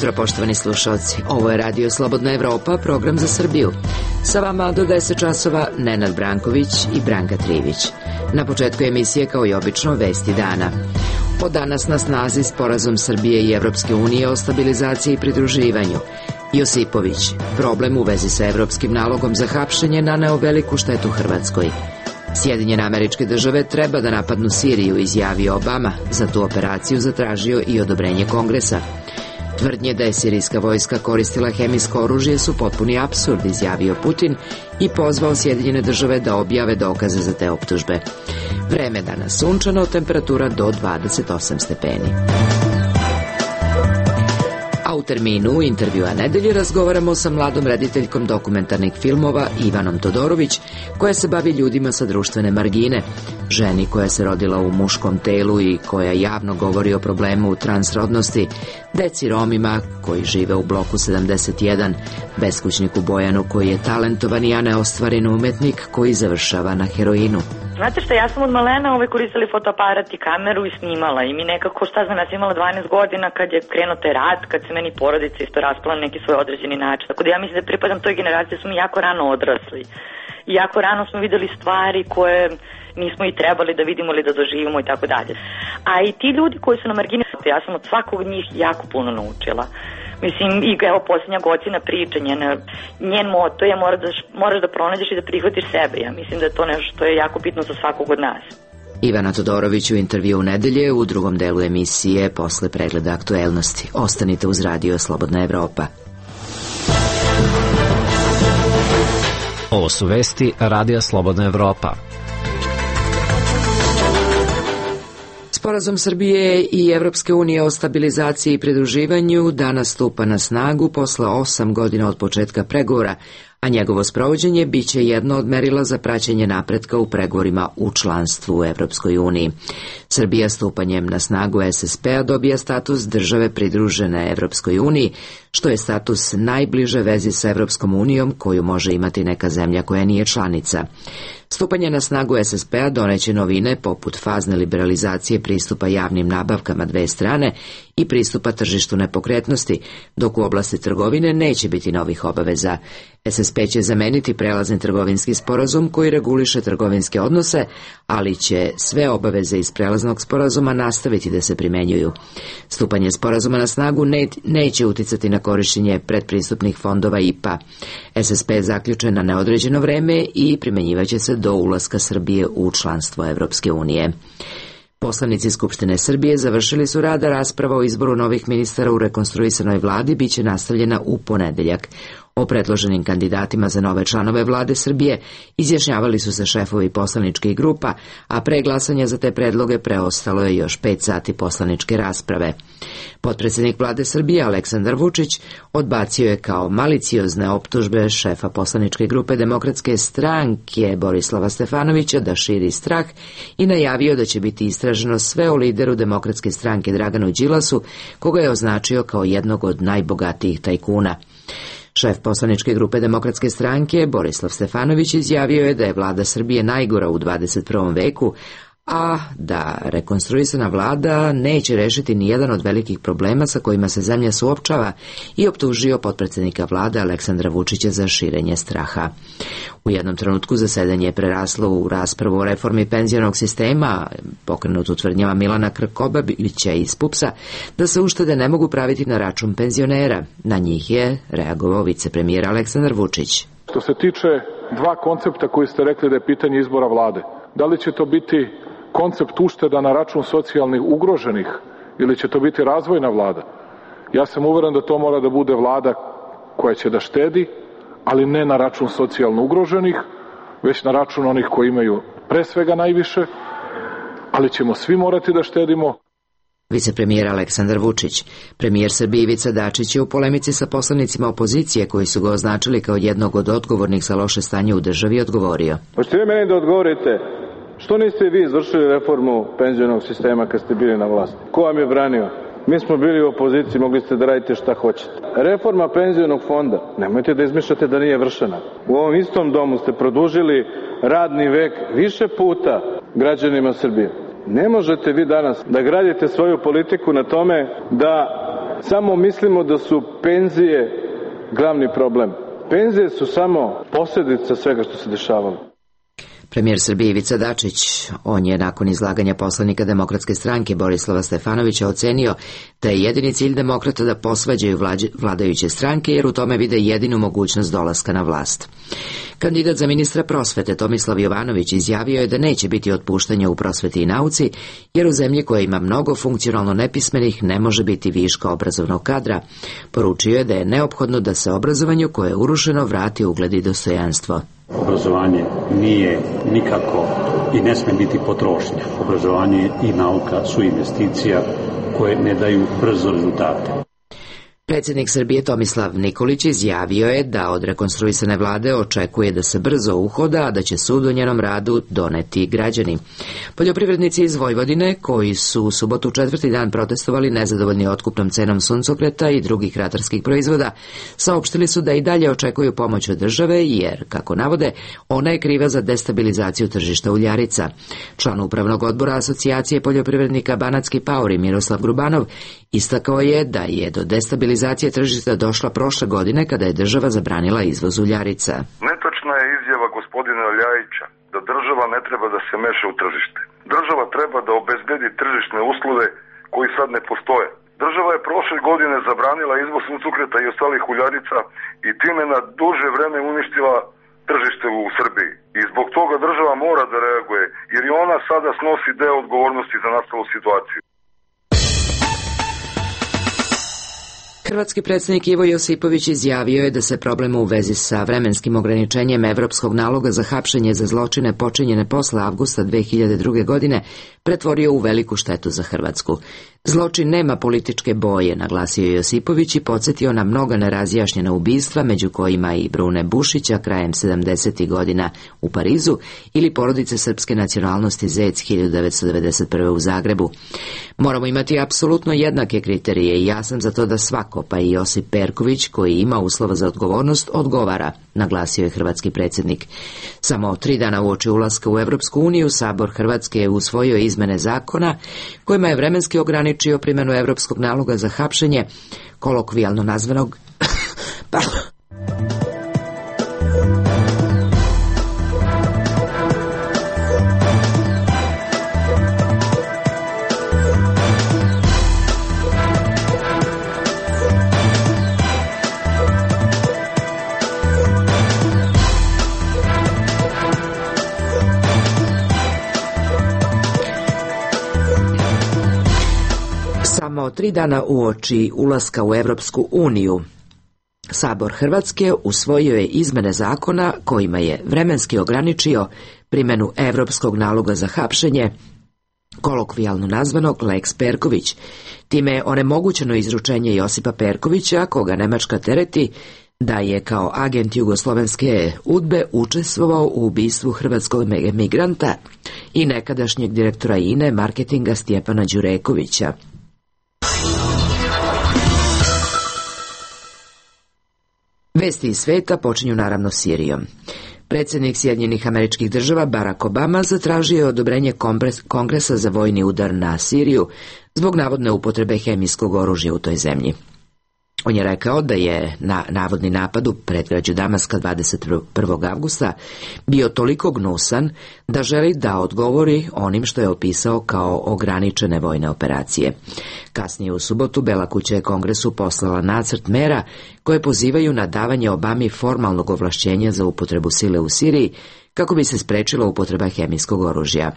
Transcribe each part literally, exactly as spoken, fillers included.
jutro, poštovani slušalci. Ovo je Radio Slobodna Evropa, program za Srbiju. Sa vama do deset časova Nenad Branković i Branka Trivić. Na početku emisije, kao i obično, vesti dana. Od danas na snazi sporazum Srbije i Evropske unije o stabilizaciji i pridruživanju. Josipović, problem u vezi sa evropskim nalogom za hapšenje naneo veliku štetu Hrvatskoj. Sjedinjene Američke Države treba da napadnu Siriju, izjavio Obama. Za tu operaciju zatražio i odobrenje Kongresa. Tvrdnje da je sirijska vojska koristila hemijsko oružje su potpuni apsurd, izjavio Putin i pozvao Sjedinjene Države da objave dokaze za te optužbe. Vreme danas sunčano, temperatura do dvadeset osam stepeni. A u terminu intervjua nedelje razgovaramo sa mladom rediteljkom dokumentarnih filmova Ivanom Todorović, koja se bavi ljudima sa društvene margine, ženi koja se rodila u muškom telu i koja javno govori o problemu transrodnosti, deci Romima koji žive u bloku sedamdeset jedan, beskućniku Bojanu koji je talentovani, a neostvaren umetnik koji završava na heroinu. Znate šta, ja sam od malena ovaj koristili fotoaparat i kameru i snimala i mi nekako, šta znam, ja sam imala dvanaest godina kad je krenuo taj rat, kad se meni porodica isto raspala na neki svoj određeni način. Tako da ja mislim da pripadam toj generaciji, da smo mi jako rano odrasli i jako rano smo videli stvari koje nismo i trebali da vidimo ili da doživimo i tako dalje. A i ti ljudi koji su na margini, ja sam od svakog od njih jako puno naučila. Mislim, i evo posljednja godina priča, njen, njen moto je moraš da, moraš da pronađeš i da prihvatiš sebe. Ja mislim da je to nešto što je jako bitno za svakog od nas. Ivana Todorović u intervju u nedelje u drugom delu emisije posle pregleda aktuelnosti. Ostanite uz Radio Slobodna Evropa. Ovo su vesti Radija Slobodna Evropa. Sporazum Srbije i Evropske unije o stabilizaciji i pridruživanju danas stupa na snagu posle osam godina od početka pregovora, a njegovo sprovođenje biće jedno od merila za praćenje napretka u pregovorima u članstvu u Evropskoj uniji. Srbija stupanjem na snagu es es pe-a dobija status države pridružene Evropskoj uniji, što je status najbliže vezi sa Evropskom unijom koju može imati neka zemlja koja nije članica. Stupanje na snagu es es pe-a doneće novine poput fazne liberalizacije pristupa javnim nabavkama dve strane i pristupa tržištu nepokretnosti, dok u oblasti trgovine neće biti novih obaveza. es es pe će zameniti prelazni trgovinski sporazum koji reguliše trgovinske odnose, ali će sve obaveze iz prelaznog sporazuma nastaviti da se primenjuju. Stupanje sporazuma na snagu ne, neće uticati na korišćenje predpristupnih fondova i pe a. es es pe je zaključen na neodređeno vreme i primenjivaće se do ulaska Srbije u članstvo Evropske unije. Poslanici Skupštine Srbije završili su rad, a rasprava o izboru novih ministara u rekonstruisanoj vladi biće nastavljena u ponedeljak. O predloženim kandidatima za nove članove vlade Srbije izjašnjavali su se šefovi poslaničkih grupa, a pre glasanja za te predloge preostalo je još pet sati poslaničke rasprave. Potpredsjednik vlade Srbije Aleksandar Vučić odbacio je kao maliciozne optužbe šefa poslaničke grupe Demokratske stranke Borislava Stefanovića da širi strah i najavio da će biti istraženo sve o lideru Demokratske stranke Draganu Đilasu, koga je označio kao jednog od najbogatijih tajkuna. Šef poslaničke grupe Demokratske stranke Borislav Stefanović izjavio je da je vlada Srbije najgora u dvadeset prvom veku, a da rekonstruisana vlada neće rešiti ni jedan od velikih problema sa kojima se zemlja suopčava i optužio potpredsjednika vlade Aleksandra Vučića za širenje straha. U jednom trenutku zasedanje je preraslo u raspravu o reformi penzionog sistema, pokrenutu tvrdnjama Milana Krkobabića iz pupsa, da se uštede ne mogu praviti na račun penzionera. Na njih je reagovao vicepremijer Aleksandar Vučić. Što se tiče dva koncepta koji ste rekli da je pitanje izbora vlade, da li će to biti koncept ušteda na račun socijalnih ugroženih ili će to biti razvojna vlada? Ja sam uveren da to mora da bude vlada koja će da štedi, ali ne na račun socijalno ugroženih, već na račun onih koji imaju pre svega najviše, ali ćemo svi morati da štedimo. Vicepremijer Aleksandar Vučić. Premijer Srbije Ivica Dačić je u polemici sa poslanicima opozicije koji su ga označili kao jednog od odgovornih za loše stanje u državi odgovorio. Hoćete vi meni da odgovorite, što niste vi izvršili reformu penzionog sistema kad ste bili na vlasti? Ko vam je branio? Mi smo bili u opoziciji, mogli ste da radite šta hoćete. Reforma penzionog fonda, nemojte da izmišljate da nije vršena. U ovom istom domu ste produžili radni vek više puta građanima Srbije. Ne možete vi danas da gradite svoju politiku na tome da samo mislimo da su penzije glavni problem. Penzije su samo posljedica svega što se dešavalo. Premijer Srbije Ivica Dačić, on je nakon izlaganja poslanika Demokratske stranke Borislava Stefanovića ocenio da je jedini cilj demokrata da posvađaju vladajuće stranke jer u tome vide jedinu mogućnost dolaska na vlast. Kandidat za ministra prosvete Tomislav Jovanović izjavio je da neće biti otpuštanja u prosveti i nauci, jer u zemlji koja ima mnogo funkcionalno nepismenih ne može biti viška obrazovnog kadra. Poručio je da je neophodno da se obrazovanju koje je urušeno vrati ugled i dostojanstvo. Obrazovanje nije nikako i ne sme biti potrošnja. Obrazovanje i nauka su investicija koje ne daju brzo rezultate. Predsjednik Srbije Tomislav Nikolić izjavio je da od rekonstruisane vlade očekuje da se brzo uhoda, a da će sud o njenom radu doneti građani. Poljoprivrednici iz Vojvodine, koji su u subotu četvrti dan protestovali nezadovoljni otkupnom cenom suncokreta i drugih ratarskih proizvoda, saopštili su da i dalje očekuju pomoć od države, jer, kako navode, ona je kriva za destabilizaciju tržišta uljarica. Član upravnog odbora Asocijacije poljoprivrednika Banatski Paori Miroslav Grubanov istakao je da je do destabilizacije tržišta došla prošle godine kada je država zabranila izvoz uljarica. Netočna je izjava gospodina Ljajića da država ne treba da se meša u tržište. Država treba da obezbedi tržišne uslove koji sad ne postoje. Država je prošle godine zabranila izvoz suncokreta i ostalih uljarica i time na duže vreme uništila tržište u Srbiji. I zbog toga država mora da reaguje, jer i ona sada snosi deo odgovornosti za nastalu situaciju. Hrvatski predsjednik Ivo Josipović izjavio je da se problem u vezi sa vremenskim ograničenjem evropskog naloga za hapšenje za zločine počinjene posle avgusta dve hiljade druge. godine pretvorio u veliku štetu za Hrvatsku. Zločin nema političke boje, naglasio Josipović i podsjetio na mnoga nerazjašnjena ubistva, među kojima i Brune Bušića krajem sedamdesetih godina u Parizu ili porodice srpske nacionalnosti Zec hiljadu devetsto devedeset prve. u Zagrebu. Moramo imati apsolutno jednake kriterije i ja sam za to da svako, pa i Josip Perković, koji ima uslova za odgovornost, odgovara, naglasio je hrvatski predsjednik. Samo tri dana uoči ulaska u Evropsku uniju, Sabor Hrvatske je usvojio izmene zakona kojima je vremenski ograničio primjenu evropskog naloga za hapšenje, kolokvijalno nazvanog Samo tri dana uoči ulaska u Evropsku uniju, Sabor Hrvatske usvojio je izmene zakona kojima je vremenski ograničio primjenu evropskog naloga za hapšenje, kolokvijalno nazvanog Lex Perković. Time je onemogućeno izručenje Josipa Perkovića, koga Nemačka tereti da je kao agent jugoslovenske udbe učestvovao u ubistvu hrvatskog migranta i nekadašnjeg direktora I N E marketinga Stjepana Đurekovića. Vesti iz sveta počinju naravno Sirijom. Predsjednik Sjedinjenih Američkih Država Barack Obama zatražio je odobrenje Kongresa za vojni udar na Siriju zbog navodne upotrebe hemijskog oružja u toj zemlji. On je rekao da je na navodni napad u predgrađu Damaska dvadeset prvog avgusta bio toliko gnusan da želi da odgovori onim što je opisao kao ograničene vojne operacije. Kasnije u subotu Bela kuća je Kongresu poslala nacrt mera koje pozivaju na davanje Obami formalnog ovlašćenja za upotrebu sile u Siriji kako bi se sprečila upotreba hemijskog oružja.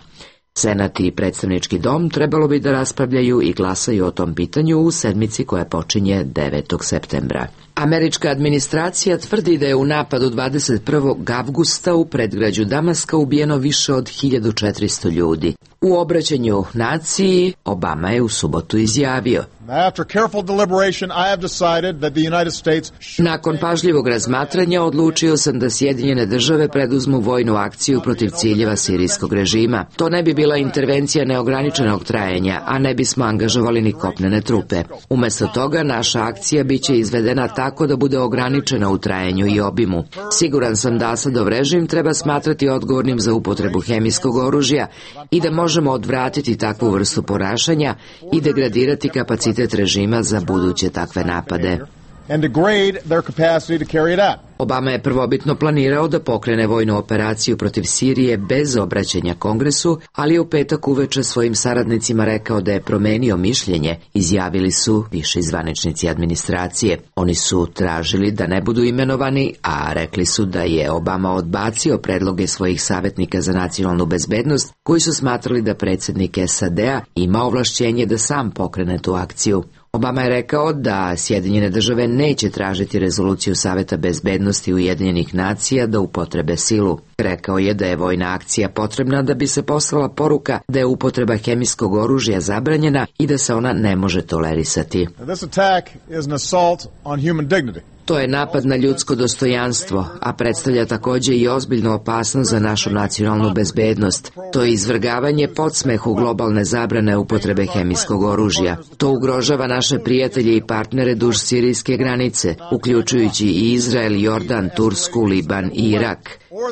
Senat i predstavnički dom trebalo bi da raspravljaju i glasaju o tom pitanju u sedmici koja počinje devetog septembra. Američka administracija tvrdi da je u napadu dvadeset prvog avgusta u predgrađu Damaska ubijeno više od hiljadu četiristo ljudi. U obraćanju naciji Obama je u subotu izjavio: Nakon pažljivog razmatranja odlučio sam da Sjedinjene države preduzmu vojnu akciju protiv ciljeva sirijskog režima. To ne bi bila intervencija neograničenog trajanja, a ne bismo angažovali ni kopnene trupe. Umjesto toga naša akcija biće izvedena tako da bude ograničena u trajanju i obimu. Siguran sam da Asadov režim treba smatrati odgovornim za upotrebu hemijskog oružja i da može možemo odvratiti takvu vrstu ponašanja i degradirati kapacitet režima za buduće takve napade. And degrade their capacity to carry it out. Obama je prvobitno planirao da pokrene vojnu operaciju protiv Sirije bez obraćanja Kongresu, ali je u petak uveče svojim saradnicima rekao da je promenio mišljenje, izjavili su viši zvaničnici administracije. Oni su tražili da ne budu imenovani, a rekli su da je Obama odbacio predloge svojih savjetnika za nacionalnu bezbednost, koji su smatrali da predsjednik S A D-a ima ovlašćenje da sam pokrene tu akciju. Obama je rekao da Sjedinjene države neće tražiti rezoluciju Saveta bezbednosti Ujedinjenih nacija da upotrebe silu. Rekao je da je vojna akcija potrebna da bi se poslala poruka da je upotreba hemijskog oružja zabranjena i da se ona ne može tolerisati. This attack is an assault on human dignity. To je napad na ljudsko dostojanstvo, a predstavlja također i ozbiljnu opasnost za našu nacionalnu bezbednost. To je izvrgavanje podsmehu globalne zabrane upotrebe hemijskog oružja. To ugrožava naše prijatelje i partnere duž sirijske granice, uključujući i Izrael, Jordan, Tursku, Liban i Irak.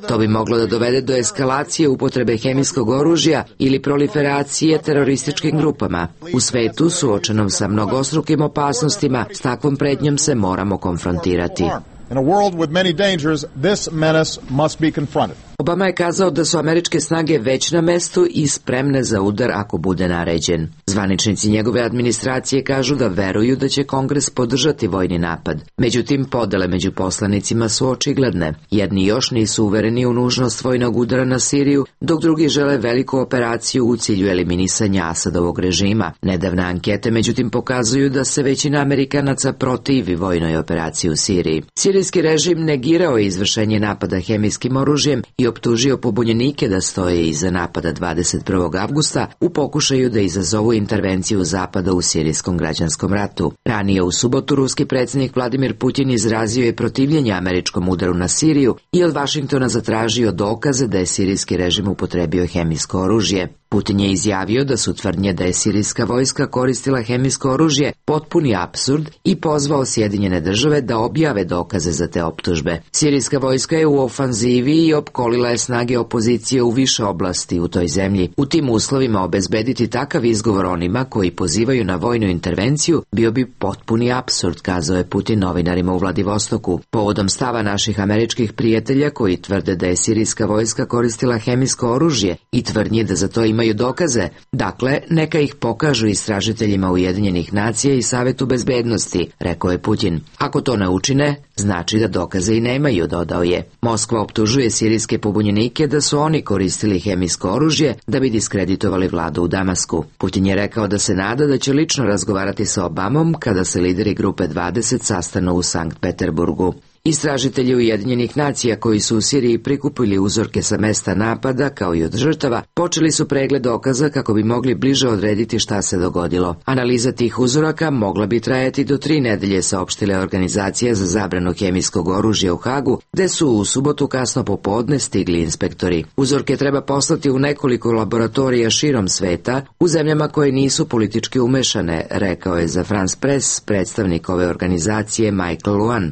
To bi moglo da dovede do eskalacije upotrebe hemijskog oružja ili proliferacije terorističkim grupama. U svetu, suočenom sa mnogostrukim opasnostima, s takvom pretnjom se moramo konfrontirati. In a world with many dangers, this menace must be confronted. Obama je kazao da su američke snage već na mestu i spremne za udar ako bude naređen. Zvaničnici njegove administracije kažu da veruju da će Kongres podržati vojni napad. Međutim, podele među poslanicima su očigledne. Jedni još nisu uvereni u nužnost vojnog udara na Siriju, dok drugi žele veliku operaciju u cilju eliminisanja Asadovog režima. Nedavne ankete međutim pokazuju da se većina Amerikanaca protivi vojnoj operaciji u Siriji. Sirijski režim negirao je izvršenje napada hemijskim oružjem i optužio pobunjenike da stoje iza napada dvadeset prvog avgusta u pokušaju da izazovu intervenciju Zapada u sirijskom građanskom ratu. Ranije u subotu ruski predsjednik Vladimir Putin izrazio je protivljenje američkom udaru na Siriju i od Vašingtona zatražio dokaze da je sirijski režim upotrebio hemijsko oružje. Putin je izjavio da su tvrdnje da je sirijska vojska koristila hemijsko oružje potpuni apsurd i pozvao Sjedinjene države da objave dokaze za te optužbe. Sirijska vojska je u ofanzivi i opkolila je snage opozicije u više oblasti u toj zemlji. U tim uslovima obezbediti takav izgovor onima koji pozivaju na vojnu intervenciju bio bi potpuni apsurd, kazao je Putin novinarima u Vladivostoku. Povodom stava naših američkih prijatelja koji tvrde da je sirijska vojska koristila hemijsko oružje i tvrdnje da za to imaju dokaze, dakle, neka ih pokažu istražiteljima Ujedinjenih nacija i Savetu bezbednosti, rekao je Putin. Ako to ne učine, znači da dokaze i nemaju, dodao je. Moskva optužuje sirijske pobunjenike da su oni koristili hemijsko oružje da bi diskreditovali vladu u Damasku. Putin je rekao da se nada da će lično razgovarati sa Obamom kada se lideri grupe dvadeset sastanu u Sankt Peterburgu. Istražitelji Ujedinjenih nacija koji su u Siriji prikupili uzorke sa mesta napada kao i od žrtava, počeli su pregled dokaza kako bi mogli bliže odrediti šta se dogodilo. Analiza tih uzoraka mogla bi trajati do tri nedelje, saopštile organizacija za zabranu hemijskog oružja u Hagu, gde su u subotu kasno popodne stigli inspektori. Uzorke treba poslati u nekoliko laboratorija širom sveta, u zemljama koje nisu politički umešane, rekao je za France Press predstavnik ove organizacije Michael Luan.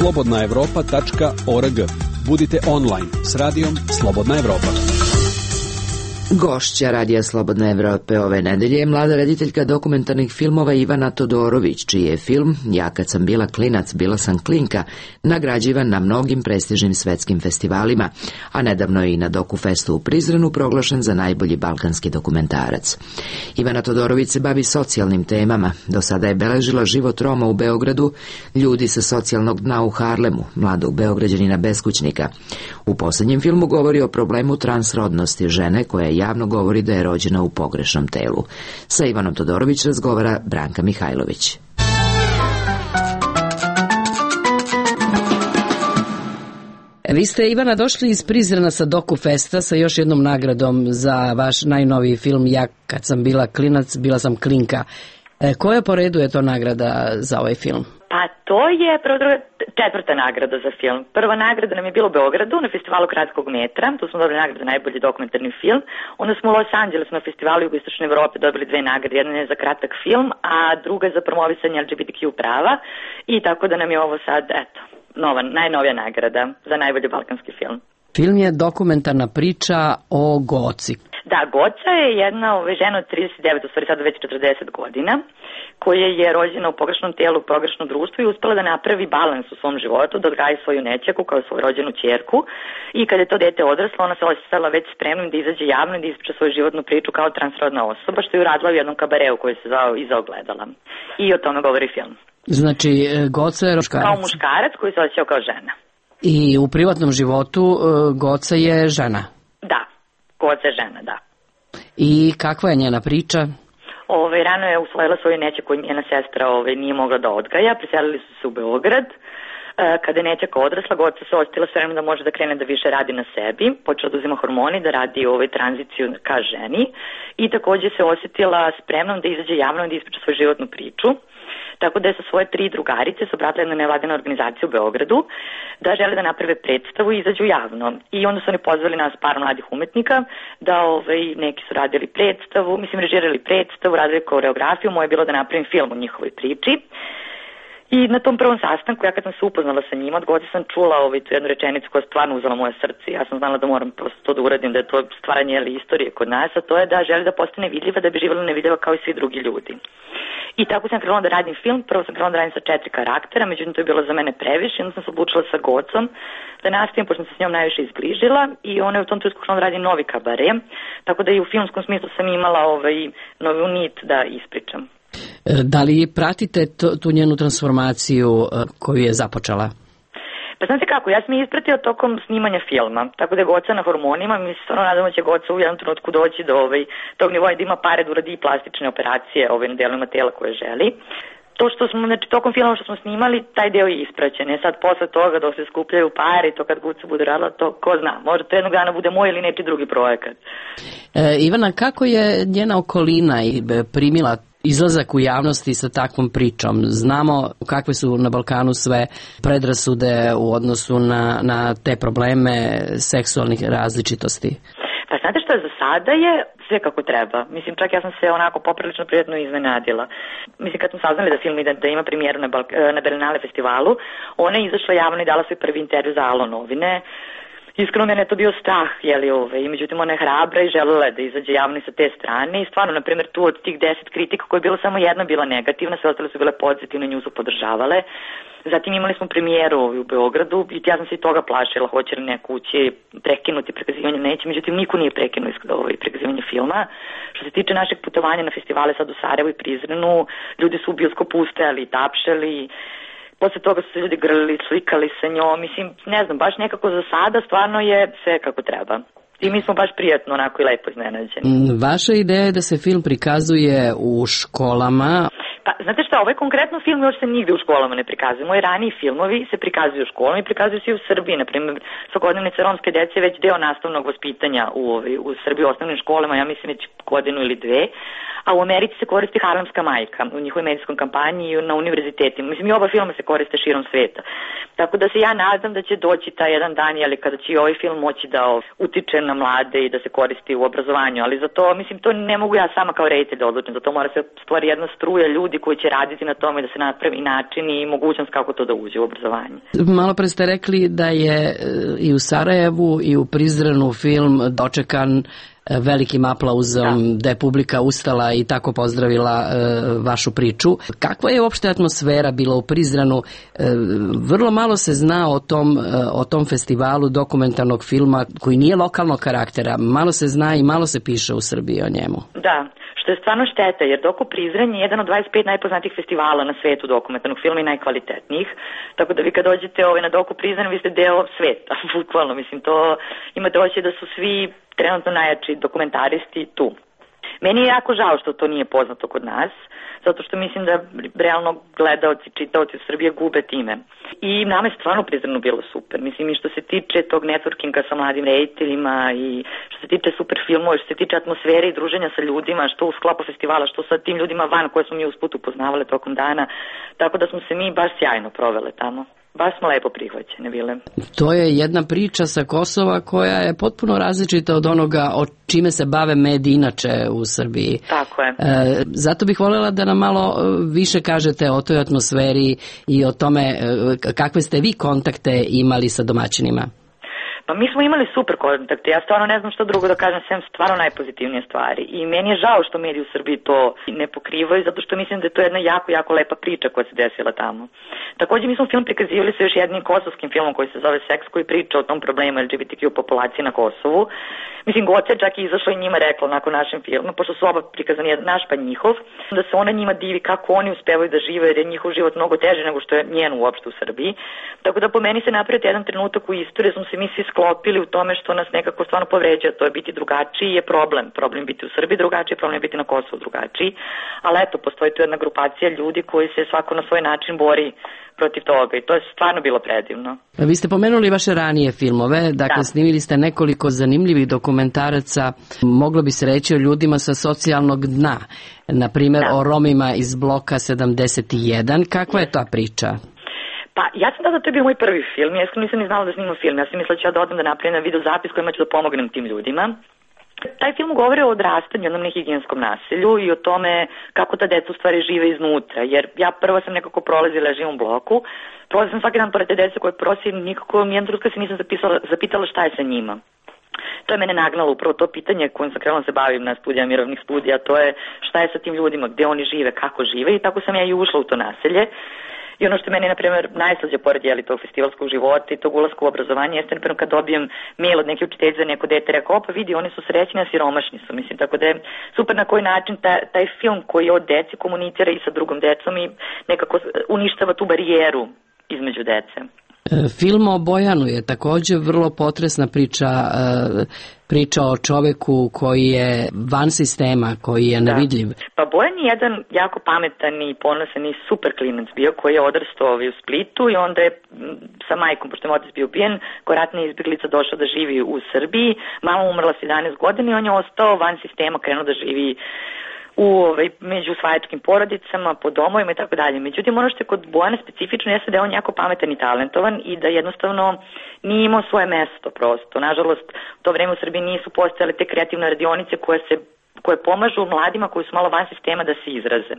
slobodna evropa tačka org. Budite online s radijom Slobodna Evropa. Gošća Radija Slobodne Evrope ove nedelje je mlada rediteljka dokumentarnih filmova Ivana Todorović, čiji je film Ja kad sam bila klinac, bila sam klinka nagrađivan na mnogim prestižnim svetskim festivalima, a nedavno je i na Dokufestu u Prizrenu proglašen za najbolji balkanski dokumentarac. Ivana Todorović se bavi socijalnim temama. Do sada je beležila život Roma u Beogradu, ljudi sa socijalnog dna u Harlemu, mladog Beograđanina beskućnika. U posljednjem filmu govori o problemu transrodnosti žene koja je javno govori da je rođena u pogrešnom telu. Sa Ivanom Todorović razgovara Branka Mihajlović. Vi ste, Ivana, došli iz Prizrena sa Dokufesta sa još jednom nagradom za vaš najnoviji film Ja kad sam bila klinac, bila sam klinka. E, koja po redu je to nagrada za ovaj film? Pa to je prvo druga, četvrta nagrada za film. Prva nagrada nam je bila u Beogradu na festivalu Kratkog metra, tu smo dobili nagradu za najbolji dokumentarni film. Onda smo u Los Angelesu na festivalu Jugoistočne Evrope dobili dve nagrade, jedna je za kratak film, a druga je za promovisanje L G B T Q prava, i tako da nam je ovo sad, eto, nova, najnovija nagrada za najbolji balkanski film. Film je dokumentarna priča o Goci. Da, Goca je jedna ove, žena od trideset devet, u stvari sada već četrdeset godina, koja je rođena u pogrešnom tijelu, u pogrešnom društvu i uspela da napravi balans u svom životu, da odgaji svoju nećaku kao svoju rođenu ćerku i kada je to dete odraslo, ona se osjećala već spremnim da izađe javno i da ispriča svoju životnu priču kao transrodna osoba, što je uradila u jednom kabareu koji se zvao Iza ogledala. I o tome govori film. Znači, Goca je muškarac. Kao muškarac koji se osjećao kao žena. I u privatnom životu Goca je žena. Da, Goca je žena, da. I kakva je njena priča? Ove, rano je usvojila svoju nećaku koju njena sestra ove, nije mogla da odgaja, preselili su se u Beograd. E, kada je nećaka odrasla, Goca se osjetila s vremenom da može da krene da više radi na sebi, počela da uzima hormoni, da radi ove, tranziciju ka ženi i takođe se osjetila spremnom da izađe javno i da ispriča svoju životnu priču. Tako da je sa svoje tri drugarice se obratila jedna nevladina organizacija u Beogradu da žele da naprave predstavu i izađu javno. I onda su oni pozvali nas par mladih umetnika da ovaj, neki su radili predstavu, mislim režirali predstavu, radili koreografiju, moje je bilo da napravim film o njihovoj priči. I na tom prvom sastanku, ja kad sam se upoznala sa njima, od Goce sam čula ovaj, tu jednu rečenicu koja je stvarno uzela moje srce. Ja sam znala da moram prosto to da uradim, da je to stvaranje ali, istorije kod nas, a to je da želi da postane vidljiva, da bi živjela nevidljiva kao i svi drugi ljudi. I tako sam krenula da radim film, prvo sam krenula da radim sa četiri karaktera, međutim to je bilo za mene previše, onda sam se odlučila sa Gocom da nastavim, pošto sam se s njom najviše izbližila i ona je u tom trenutku krenula da radi novi kabare, tako da i u filmskom smislu sam imala ovaj, novu nit da ispričam. Da li pratite tu njenu transformaciju koju je započela? Pa znate kako, ja sam je ispratila tokom snimanja filma, tako da je Goca na hormonima, mi se stvarno nadamo da će Goca u jednom trenutku doći do ovaj, tog nivoa da ima pare da uradi i plastične operacije ovaj, na delovima tela koje želi. To što smo, znači tokom filma što smo snimali, taj deo je ispraćen. E sad posle toga dok se skupljaju pare i to kad Goca bude radila, to ko zna, možda to jednog dana bude moj ili neki drugi projekat. E, Ivana, kako je njena okolina primila izlazak u javnosti sa takvom pričom? Znamo kakve su na Balkanu sve predrasude u odnosu na, na te probleme seksualnih različitosti. Pa znate što je, za sada je sve kako treba. Mislim, čak ja sam se onako poprilično prijatno iznenadila. Mislim, kad smo saznali da film ide, da ima premijeru na, Balk na Berlinale festivalu, ona je izašla javno i dala svoj prvi intervju za Alo novine. Iskreno mene je to bio strah, jeli ove, i međutim ona je hrabra i želela da izađe javno i sa te strane i stvarno, na primjer, tu od tih deset kritika koja je bila samo jedna bila negativna, sve ostale su bile pozitivne, nju su podržavale. Zatim imali smo premijeru u Beogradu i ja sam se i toga plašila, hoće li neko ući prekinuti prikazivanje, neće, međutim niko nije prekinuo ovaj, prikazivanje filma. Što se tiče našeg putovanja na festivale sad u Sarajevu i Prizrenu, ljudi su u bioskopu ustajali, tapšali. Posle toga su se ljudi grlili, slikali sa njom, mislim, ne znam, baš nekako za sada stvarno je sve kako treba. I mi smo baš prijatno, onako i lepo iznenađeni. Vaša ideja je da se film prikazuje u školama. Pa, znate šta, ovaj konkretno film još se nigde u školama ne prikazuje. Moji raniji filmovi se prikazuju u školama i prikazuju se i u Srbiji. Naprimjer, svakodnevnice romske dece je već deo nastavnog vaspitanja u, u Srbiji u osnovnim školama, ja mislim već godinu ili dve. A u Americi se koristi Harlemska majka u njihovoj medijskom kampanji i na univerzitetima. Mislim, i oba filma se koriste širom sveta. Tako da se ja nadam da će doći taj jedan dan, ali kada će i ovaj film moći da utiče na mlade i da se koristi u obrazovanju. Ali za to, mislim, to ne mogu ja sama kao reditelj da odlučim. Za to mora se stvari jedna struja ljudi koji će raditi na tome da se napravi način i mogućnost kako to da uđe u obrazovanje. Malo pre ste rekli da je i u Sarajevu i u Prizrenu film dočekan velikim aplauzom, da. da je publika ustala i tako pozdravila e, vašu priču. Kakva je uopšte atmosfera bila u Prizrenu? E, vrlo malo se zna o tom, e, o tom festivalu dokumentarnog filma koji nije lokalnog karaktera. Malo se zna i malo se piše u Srbiji o njemu. Da, što je stvarno šteta, jer Doku Prizren je jedan od dvadeset pet najpoznatijih festivala na svetu dokumentarnog filma i najkvalitetnijih. Tako da vi kad dođete ovaj, na Doku Prizren, vi ste deo sveta, bukvalno. Mislim, to imate osjećaj da su svi trenutno najjači dokumentaristi tu. Meni je jako žao što to nije poznato kod nas, zato što mislim da realno gledaoci, čitaoci u Srbije gube time. I nama je stvarno Prizrenu bilo super. Mislim, i što se tiče tog networkinga sa mladim rediteljima i što se tiče super filmova, što se tiče atmosfere i druženja sa ljudima, što u sklopu festivala, što sa tim ljudima van koje smo mi usput upoznavali tokom dana. Tako da smo se mi baš sjajno provele tamo. Baš smo lepo prihvaćene bile. To je jedna priča sa Kosova koja je potpuno različita od onoga o čime se bave mediji inače u Srbiji. Tako je. E, zato bih voljela da nam malo više kažete o toj atmosferi i o tome kakve ste vi kontakte imali sa domaćinima. Pa mi smo imali super kontakte, ja stvarno ne znam što drugo da kažem, sem stvarno najpozitivnije stvari. I meni je žao što mediji u Srbiji to ne pokrivaju, zato što mislim da je to jedna jako, jako lepa priča koja se desila tamo. Takođe mi smo film prikazivali sa još jednim kosovskim filmom koji se zove Seks, koji priča o tom problemu L G B T Q populacije na Kosovu. Mislim, Goce čak i izašla i njima rekla nakon našem filmu, pošto su oba prikazani jedan naš pa njihov, da se ona njima divi kako oni uspevaju da žive, jer je njihov život mnogo teži nego što je njen uopšte u Srbiji. Tako da po meni se napraviti jedan trenutak u istoriji, smo se mi svi sklopili u tome što nas nekako stvarno povređa, to je biti drugačiji je problem. Problem biti u Srbiji drugačiji, problem je biti na Kosovu drugačiji, ali eto, postoji tu jedna grupacija ljudi koji se svako na svoj način bori protiv toga i to je stvarno bilo predivno. Vi ste pomenuli vaše ranije filmove, dakle da. Snimili ste nekoliko zanimljivih dokumentaraca, moglo bi se reći o ljudima sa socijalnog dna, na primjer da. O Romima iz bloka sedamdeset jedan. Kakva je ta priča? Pa ja sam da to je bio moj prvi film, ja nisam ni znala da snimam film, ja sam mislila da ću ja da odem da napravim na video zapis kojima ću da pomognem tim ljudima. Taj film govori o odrastanju, jednom nehigijenskom nasilju i o tome kako ta deca u stvari žive iznutra, jer ja prvo sam nekako prolazila, ja živim u bloku, prolazila sam svaki dan pored te dece koje prosim, nikako nijedna trenutka se nisam zapisala, zapitala šta je sa njima. To je mene nagnalo upravo to pitanje kojim sam krenula se bavim na studijama mirovnih studija, to je šta je sa tim ljudima, gde oni žive, kako žive i tako sam ja i ušla u to naselje. I ono što meni, na primjer, najslađe pored jeli tog festivalskog života i tog ulaska u obrazovanje jeste, na primjer, kad dobijem mail od neke učiteljice za neko dete, rekao, opa vidi, oni su srećni, a siromašni su, mislim, tako da je super na koji način ta, taj film koji od deci komunicira i sa drugom decom i nekako uništava tu barijeru između dece. Film o Bojanu je također vrlo potresna priča, priča o čoveku koji je van sistema, koji je nevidljiv. Da. Pa Bojan je jedan jako pametan i ponosan i super klinac bio koji je odrastao u Splitu i onda je sa majkom, pošto je otac bio ubijen, kao ratna izbjeglica došao da živi u Srbiji, mama umrla s jedanaest godina i on je ostao van sistema, krenuo da živi u ovaj, među usvajačkim porodicama, po domovima i tako dalje. Međutim, ono što je kod Bojana specifično jeste da je on jako pametan i talentovan i da jednostavno nije imao svoje mesto prosto. Nažalost, u to vreme u Srbiji nisu postojale te kreativne radionice koje se koje pomažu mladima koji su malo van sistema da se izraze.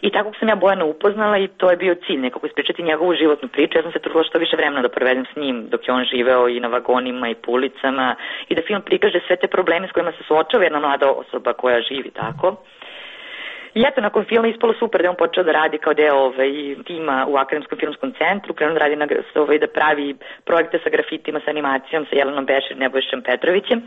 I tako sam ja Bojana upoznala i to je bio cilj, nekako ispričati njegovu životnu priču. Ja sam se trudila što više vremena da provedem s njim dok je on živeo i na vagonima i po ulicama i da film prikaže sve te probleme s kojima se suočava jedna mlada osoba koja živi tako. I eto, nakon filma ispalo super da je on počeo da radi kao deo ovaj, tima u Akademskom filmskom centru, krenuo da radi na, ovaj, da pravi projekte sa grafitima, sa animacijom, sa Jelenom Bešir, Nebojšem Petrovićem.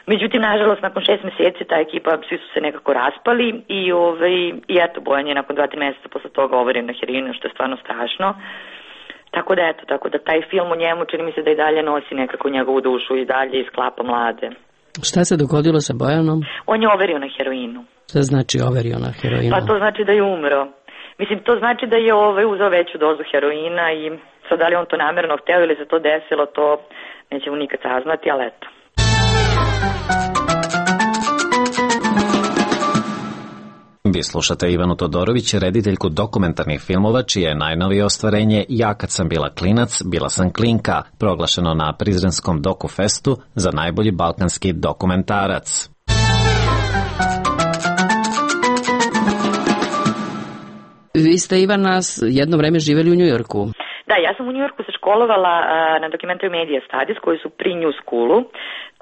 Međutim, nažalost, nakon šest meseci ta ekipa, svi su se nekako raspali i, ovaj, i eto, Bojan je nakon dva, tri meseca posle toga overen na heroinu, što je stvarno strašno. Tako da eto, tako da taj film o njemu čini mi se da i dalje nosi nekako njegovu dušu i dalje isklapa mlade. Šta se dogodilo sa Bojanom? On je overio na heroinu. Šta znači overio na heroinu? Pa to znači da je umro. Mislim, to znači da je ovaj uzeo veću dozu heroina i sad da li on to namjerno hteo ili se to desilo, to nećemo nikad saznati, ali eto. Vi slušate Ivanu Todorović, rediteljku dokumentarnih filmova, čije je najnovije ostvarenje Ja kad sam bila klinac, bila sam klinka, proglašeno na Prizrenskom Dokufestu za najbolji balkanski dokumentarac. Vi ste, Ivana, jedno vreme živjeli u Njujorku. Da, ja sam u Njujorku se školovala uh, na Documentary Media Studies koji su pri New Schoolu.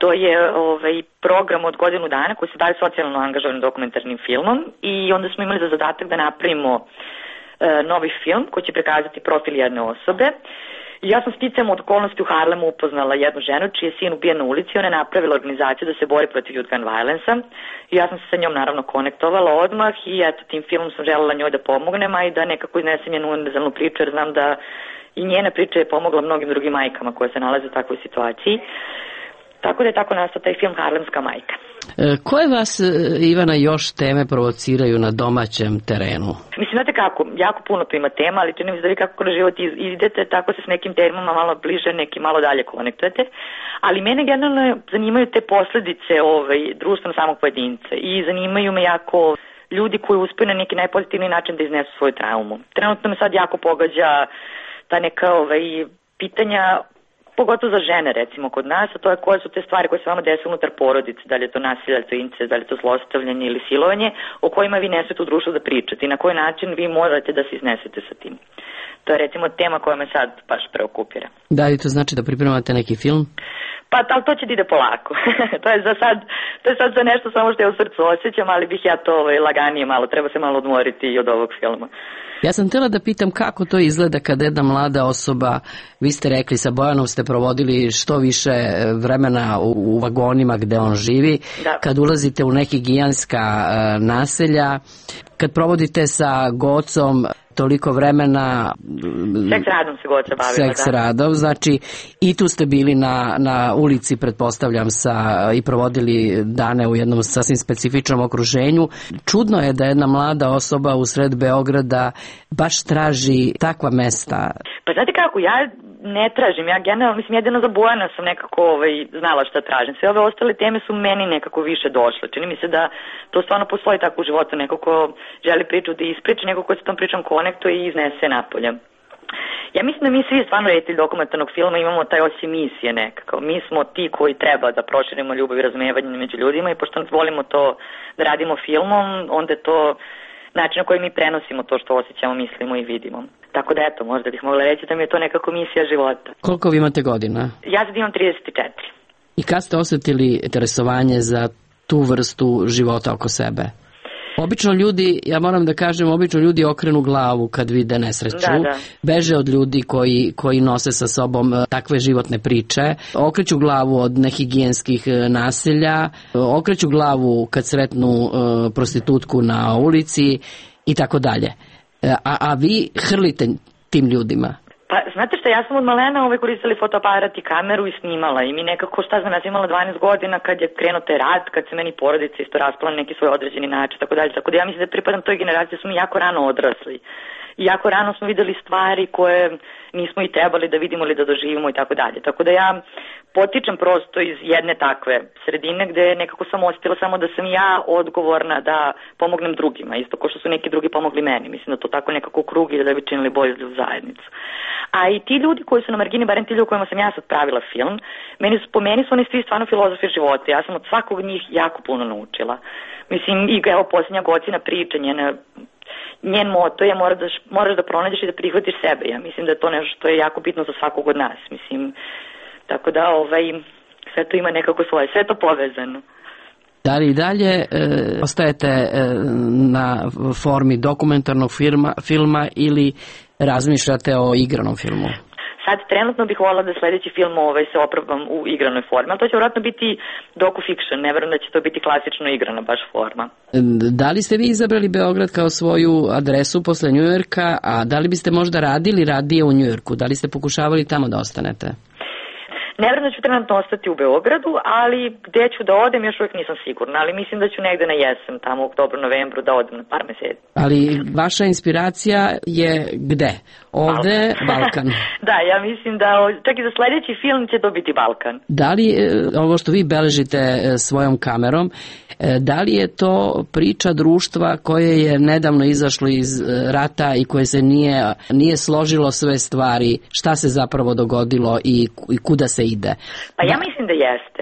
To je ovaj, program od godinu dana koji se bavi socijalno angažovanim dokumentarnim filmom i onda smo imali za zadatak da napravimo uh, novi film koji će prikazati profil jedne osobe. I ja sam sticam od okolnosti u Harlemu upoznala jednu ženu čiji je sin ubijen na ulici. Ona je napravila organizaciju da se bori protiv youth gun violence-a i ja sam se sa njom naravno konektovala odmah i eto, tim filmom sam želela njoj da pomognem, a i da nekako iznesem njenu univerzalnu priču jer znam da i njena priča je pomogla mnogim drugim majkama koje se nalaze u takvoj situaciji. Tako da je tako nastao taj film Harlemska majka. E, koje vas, Ivana, još teme provociraju na domaćem terenu? Mislim, znate kako, jako puno tu ima tema, ali čini mi se da vi kako kroz život idete, tako se s nekim temama malo bliže, neki malo dalje konektujete. Ali mene generalno zanimaju te posledice ovaj, društveno samog pojedinca i zanimaju me jako ljudi koji uspeju na neki najpozitivniji način da iznesu svoju traumu. Trenutno me sad jako pogađa ta neka ovaj, pitanja pogotovo za žene recimo kod nas, a to je koje su te stvari koje se vama desi unutar porodice, da li je to nasilje, da li je to incest, da li je to zlostavljanje ili silovanje, o kojima vi ne smete u društvu da pričate i na koji način vi morate da se iznesete sa tim. To je recimo tema koja me sad baš preokupira. Da li to znači da pripremate neki film? Pa, ali to će da ide polako. to je za sad, to je sad za nešto samo što ja u srcu osjećam, ali bih ja to ovaj, laganije malo, treba se malo odmoriti i od ovog filma. Ja sam htjela da pitam kako to izgleda kada jedna mlada osoba, vi ste rekli sa Bojanom ste provodili što više vremena u, u vagonima gde on živi, da. Kad ulazite u neki giganska uh, naselja, kad provodite sa Gocom toliko vremena... Seks radom se Goca bavila, Seks da. radom, znači i tu ste bili na, na ulici, pretpostavljam, sa, i provodili dane u jednom sasvim specifičnom okruženju. Čudno je da jedna mlada osoba u sred Beograda baš traži takva mesta. Pa znate kako, ja ne tražim, ja generalno, mislim, jedino za Bojana sam nekako ovaj, znala šta tražim. Sve ove ostale teme su meni nekako više došle. Čini mi se da to stvarno postoji tako u životu, neko ko želi priču da ispriča, neko ko se tom pričom konektuje i iznese napolje. Ja mislim da mi svi stvarno reditelji dokumentarnog filma imamo taj osjećaj misije nekako. Mi smo ti koji treba da proširimo ljubav i razumevanje među ljudima i pošto volimo to da radimo filmom, onda je to način na koji mi prenosimo to što osjećamo, mislimo i vidimo. Tako da eto, možda bih mogla reći da mi je to nekako misija života. Koliko vi imate godina? Ja sad imam trideset četiri. I kad ste osjetili interesovanje za tu vrstu života oko sebe? Obično ljudi, ja moram da kažem, obično ljudi okrenu glavu kad vide nesreću, da, da. Beže od ljudi koji, koji nose sa sobom takve životne priče, okreću glavu od nehigijenskih naselja, okreću glavu kad sretnu uh, prostitutku na ulici i tako dalje. A, a vi hrlite tim ljudima. Pa, znate što, ja sam od malena ovaj koristila fotoaparat i kameru i snimala i mi nekako, šta znam, ja sam imala dvanaest godina kad je krenuo taj rat, kad se meni porodica isto raspala na neki svoj određeni način, tako dalje, tako da ja mislim da pripadam toj generaciji, smo mi jako rano odrasli i jako rano smo videli stvari koje nismo i trebali da vidimo ili da doživimo i tako dalje, tako da ja potičem prosto iz jedne takve sredine gde nekako sam osjetila samo da sam ja odgovorna da pomognem drugima, isto kao što su neki drugi pomogli meni, mislim da to tako nekako u krug i da bi činili bolje za zajednicu. A i ti ljudi koji su na margini, barem ti ljudi kojima sam ja sad pravila film, meni su, po meni su oni svi stvarno filozofi života, ja sam od svakog njih jako puno naučila. Mislim, i evo posljednja Gocina priča, njena, njen moto je moraš da, moraš da pronađeš i da prihvatiš sebe, ja mislim da je to nešto što je jako bitno za svakog od nas, mislim. Tako da ovaj, sve to ima nekako svoje, sve to povezano. Da li i dalje e, ostajete e, na formi dokumentarnog filma, filma ili razmišljate o igranom filmu? Sad trenutno bih voljela da sledeći film ovaj, se oprobam u igranoj formi, ali to će vjerojatno biti docu-fiction, ne verujem da će to biti klasično igrana baš forma. Da li ste vi izabrali Beograd kao svoju adresu posle Njujorka, a da li biste možda radili radije u Njujorku? Da li ste pokušavali tamo da ostanete? Ne vjerujem da ću trenutno ostati u Beogradu, ali gde ću da odem još uvijek nisam sigurna, ali mislim da ću negde na jesen, tamo u oktobru, novembru da odem na par meseci. Ali vaša inspiracija je gde? Ovde Balkan. Balkan. Da, ja mislim da čak i za sledeći film će to biti Balkan. Da li ovo što vi beležite svojom kamerom, da li je to priča društva koje je nedavno izašlo iz rata i koje se nije, nije složilo sve stvari, šta se zapravo dogodilo i, i kuda se ide? Pa ja mislim da jeste.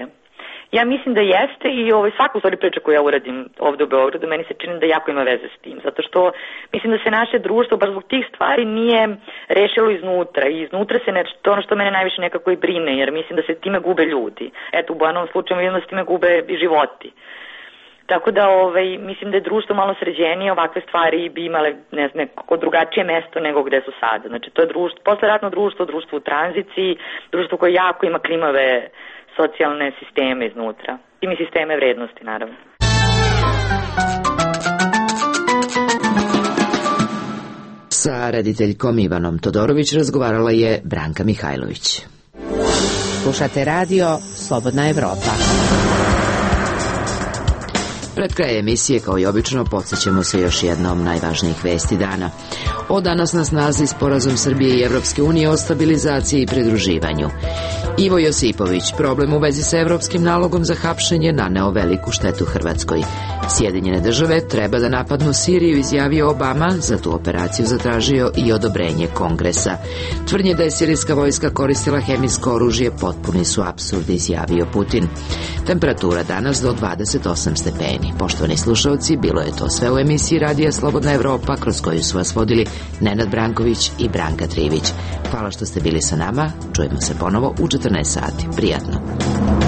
Ja mislim da jeste i ovaj, svaku stvari priča koju ja uradim ovde u Beogradu, meni se čini da jako ima veze s tim, zato što mislim da se naše društvo baš zbog tih stvari nije rešilo iznutra i iznutra se nešto, to ono što mene najviše nekako i brine, jer mislim da se time gube ljudi. Eto, u Bojanovom slučaju vidim da se time gube i životi. Tako da ovaj, mislim da je društvo malo sređenije, ovakve stvari bi imale ne znam, neko drugačije mesto nego gde su sada. Znači to je društvo, posleratno društvo, društvo u tranziciji, društvo koje jako ima klimave socijalne sisteme iznutra. I mi sisteme vrednosti, naravno. Sa rediteljkom Ivanom Todorović razgovarala je Branka Mihajlović. Slušate radio Slobodna Evropa. Pred kraj emisije, kao i obično, podsjećamo se još jednom najvažnijih vesti dana. Od danas na snazi sporazum Srbije i Evropske unije o stabilizaciji i pridruživanju. Ivo Josipović, problem u vezi sa evropskim nalogom za hapšenje naneo veliku štetu Hrvatskoj. Sjedinjene države treba da napadnu Siriju, izjavio Obama, za tu operaciju zatražio i odobrenje Kongresa. Tvrdnje da je sirijska vojska koristila hemijsko oružje potpuni su apsurd, izjavio Putin. Temperatura danas do dvadeset osam stepeni. Poštovani slušalci, bilo je to sve u emisiji Radija Slobodna Evropa, kroz koju su vas vodili Nenad Branković i Branka Trivić. Hvala što ste bili sa nama, čujemo se ponovo u četrnaest sati. Prijatno.